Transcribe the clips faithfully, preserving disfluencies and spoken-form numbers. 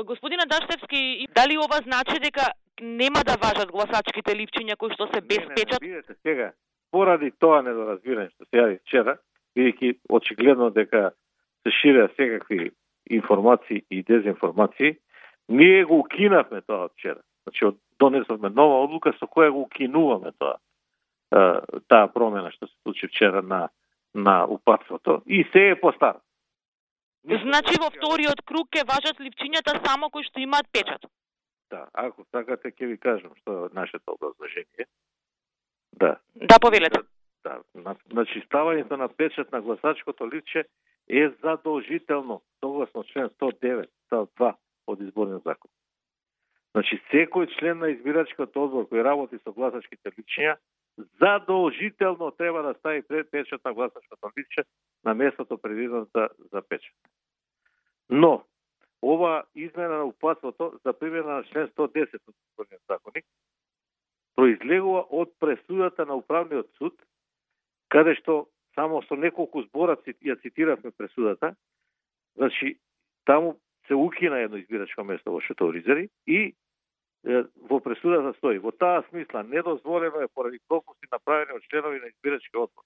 Господина Даштевски, дали ова значи дека нема да важат гласачките липчиња кои што се без не, не, печат? Не, видете, сега, поради тоа недоразбирање што се јави вчера, бидејќи очигледно дека се ширеа секакви информации и дезинформации, ние го укинавме тоа од вчера. Значи, донесовме нова одлука со која го укинуваме тоа, таа промена што се случи вчера на на упатството и се е постар. Значи во вториот круг ќе важат липчињата само кои што имаат печат. Да, ако сакате ќе ви кажам што е нашето образложение. Да. Да, повелете. Да, да. Значи ставањето на печат на гласачкото листче е задолжително, согласно член сто девет став два од изборниот закон. Значи секој член на избирачкиот одбор кој работи со гласачките листчиња задолжително треба да стави пред печат на гласачкото листче на местото предвидено за, за печат. Но, ова измена на упатството за примена на член сто десет од изборниот законник произлегува од пресудата на управниот суд, каде што само со неколку збора ја цитиравме пресудата, значи таму се укина едно избирачко место во Шеторизери и е, во пресудата стои: во таа смисла недозволено е поради пропусти направени од членови на избирачкиот одбор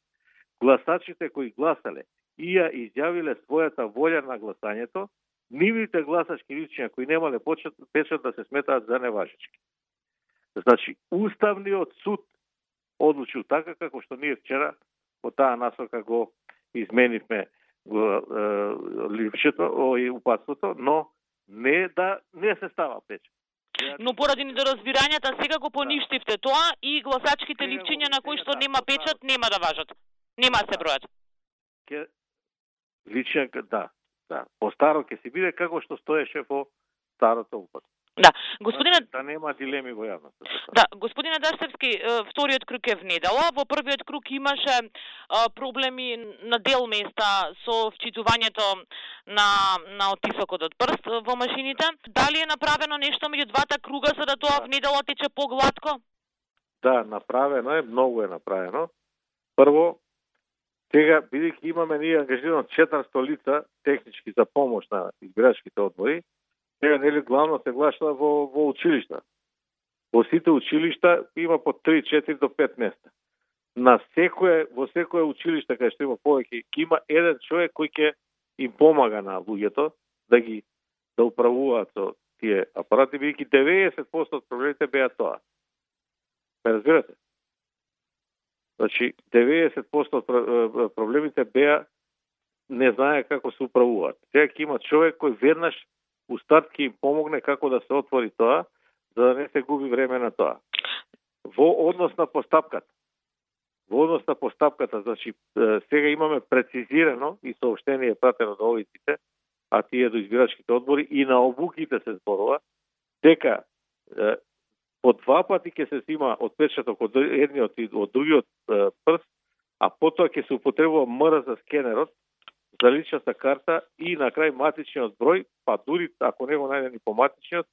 гласачите кои гласале и ја изјавиле својата волја на гласањето, нивните гласачки листчиња кои немале почет, печат да се сметаат за неважечки. Значи, Уставниот суд одлучил така како што ние вчера по таа насока го изменивме го е, липчето и упатството, но не да не се става печат. Но поради недоразбирањата сега го поништивте тоа и гласачките липчиња на кои што нема печат нема да важат. Нема да се бројат. Ке личјак, да, да. По старо ќе се биде како што стоеше во старото упатство. Да, господина да нема дилеми во јавноста. Да, господина Даштевски, вториот круг е внедела. Во првиот круг имаше а, проблеми на дел места со вчитувањето на на оттисокот од прст во машините. Дали е направено нешто меѓу двата круга за да тоа внедела тече погладко? Да, направено е, многу е направено. Прво, сега бидејќи имаме ние ангажирано четиристо лица технички за помош на избирачките одбори, сега нели главно се гласа во во училишта. Во сите училишта има по три, четири до пет места. На секое во секое училиште кај што има повеќе, има еден човек кој ќе им помага на луѓето да ги да управуваат со тие апарати, бидејќи деветдесет проценти од проблемите беа тоа. Ме разбирате? Значи, деветдесет проценти од проблемите беа не знае како се управуваат. Сега ќе има човек кој веднаш у старт ќе им помогне како да се отвори тоа, за да не се губи време на тоа. Во однос на постапката. Во однос на постапката, значи, сега имаме прецизирано и сообщение пратено до овиците, а тие до избирачките одбори и на обуките се зборува, дека е, по два пати ќе се сима отпечаток од едниот и од другиот е, прст, а потоа ќе се употребува МР за скенерот, за личната карта и на крај матичниот број, па дури ако не го најде ни по матичниот,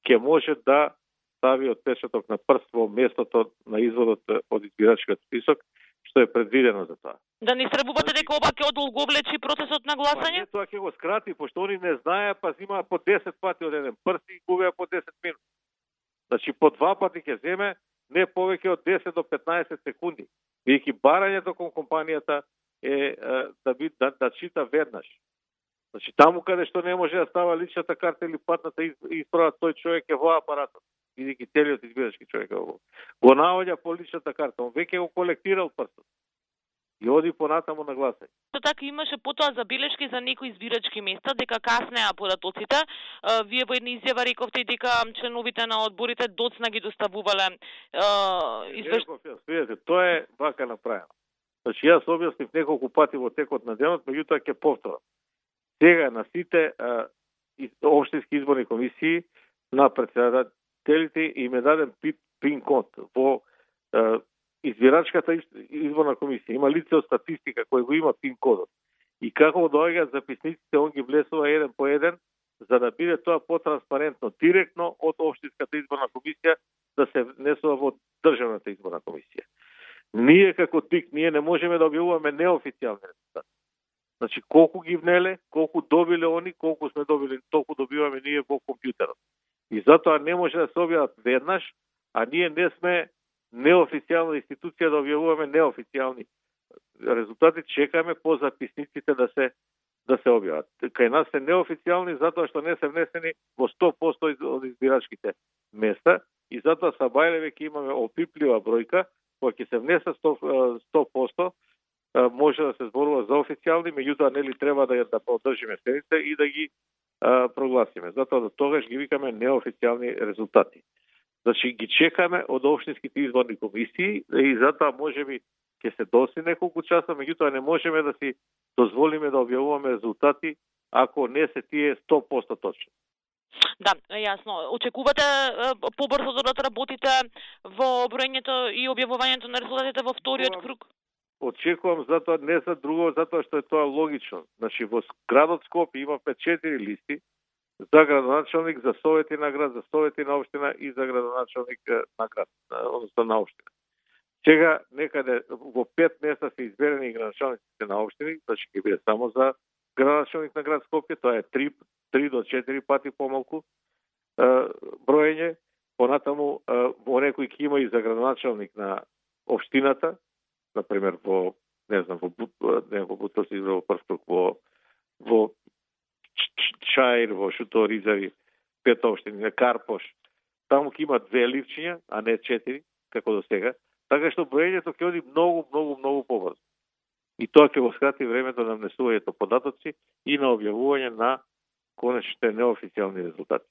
ќе може да стави отпечаток на прст во местото на изводот од избирачкиот список, што е предвидено за тоа. Да не стребувате дека ова ќе одолговлечи процесот на гласање? Па не, тоа ќе го скрати, пошто они не знаеа, па зимаа по десет пати од еден прст и губеа по десет минути. Значи по два пати ќе земе не повеќе од десет до петнаесет секунди. Бидејќи барањето кон компанијата е, е да, би, да, да чита веднаш. Значи таму каде што не може да става личната карта или патната исправа, тој човек е во апаратот. Бидејќи целиот избирачки човек е во. Го наоѓа по личната карта, он веќе го колектирал прстот. И оди понатаму на гласање. Тоа така имаше потоа забелешки за некои избирачки места дека каснеа податоците. Вие во една изјава рековте дека членовите на одборите доцна ги доставувале извештаји. Видете, тоа е вака направено. Значи јас објаснив неколку пати во текот на денот, меѓутоа ќе повторам. Сега на сите а, општински изборни комисии на председателите им е даден пин код во а, избирачката изборна комисија. Има лице од статистика кој го има пин кодот. И како доаѓаат записниците, он ги влесува еден по еден, за да биде тоа потранспарентно, директно од општинската изборна комисија да се внесува во државната изборна комисија. Ние како ТИК, ние не можеме да објавуваме неофицијални резултати. Значи, колку ги внеле, колку добиле они, колку сме добили, толку добиваме ние во компјутерот. И затоа не може да се објават веднаш, а ние не сме неофицијална институција да објавуваме неофицијални резултати, чекаме по записниците да се да се објават. Кај нас се неофицијални затоа што не се внесени во сто посто од избирачките места и затоа са Бајле веќе имаме опиплива бројка, кога ќе се внесе сто посто може да се зборува за официјални, меѓутоа нели треба да да поддржиме седница и да ги а, прогласиме. Затоа до тогаш ги викаме неофицијални резултати. Значи ги чекаме од општинските изборни комисии и затоа можеби ќе се доси неколку часа, меѓутоа не можеме да си дозволиме да објавуваме резултати ако не се тие сто посто точни. Да, јасно. Очекувате побрзо да работите во броењето и објавувањето на резултатите во вториот круг? Очекувам затоа не за друго, затоа што е тоа логично. Значи во градот Скопје има пет четири листи за градоначалник, за совети на град, за совети на општина и за градоначалник на град, односно на општина. Сега некаде во пет места се изберени градоначалниците на општини, значи ќе биде само за градоначалник на град Скопје, тоа е три до четири пати помалку броење. Понатаму во некој ќе има и за градоначалник на општината, например во не знам во не во Бутос и во Првкруг, во во Чаир, во Шуторизари, пет општини, на Карпош. Таму ќе има две ливчиња, а не четири, како до сега. Така што броењето ќе оди многу, многу, многу побрзо. И тоа ќе го скрати времето на внесувањето податоци и на објавување на конечните неофицијални резултати.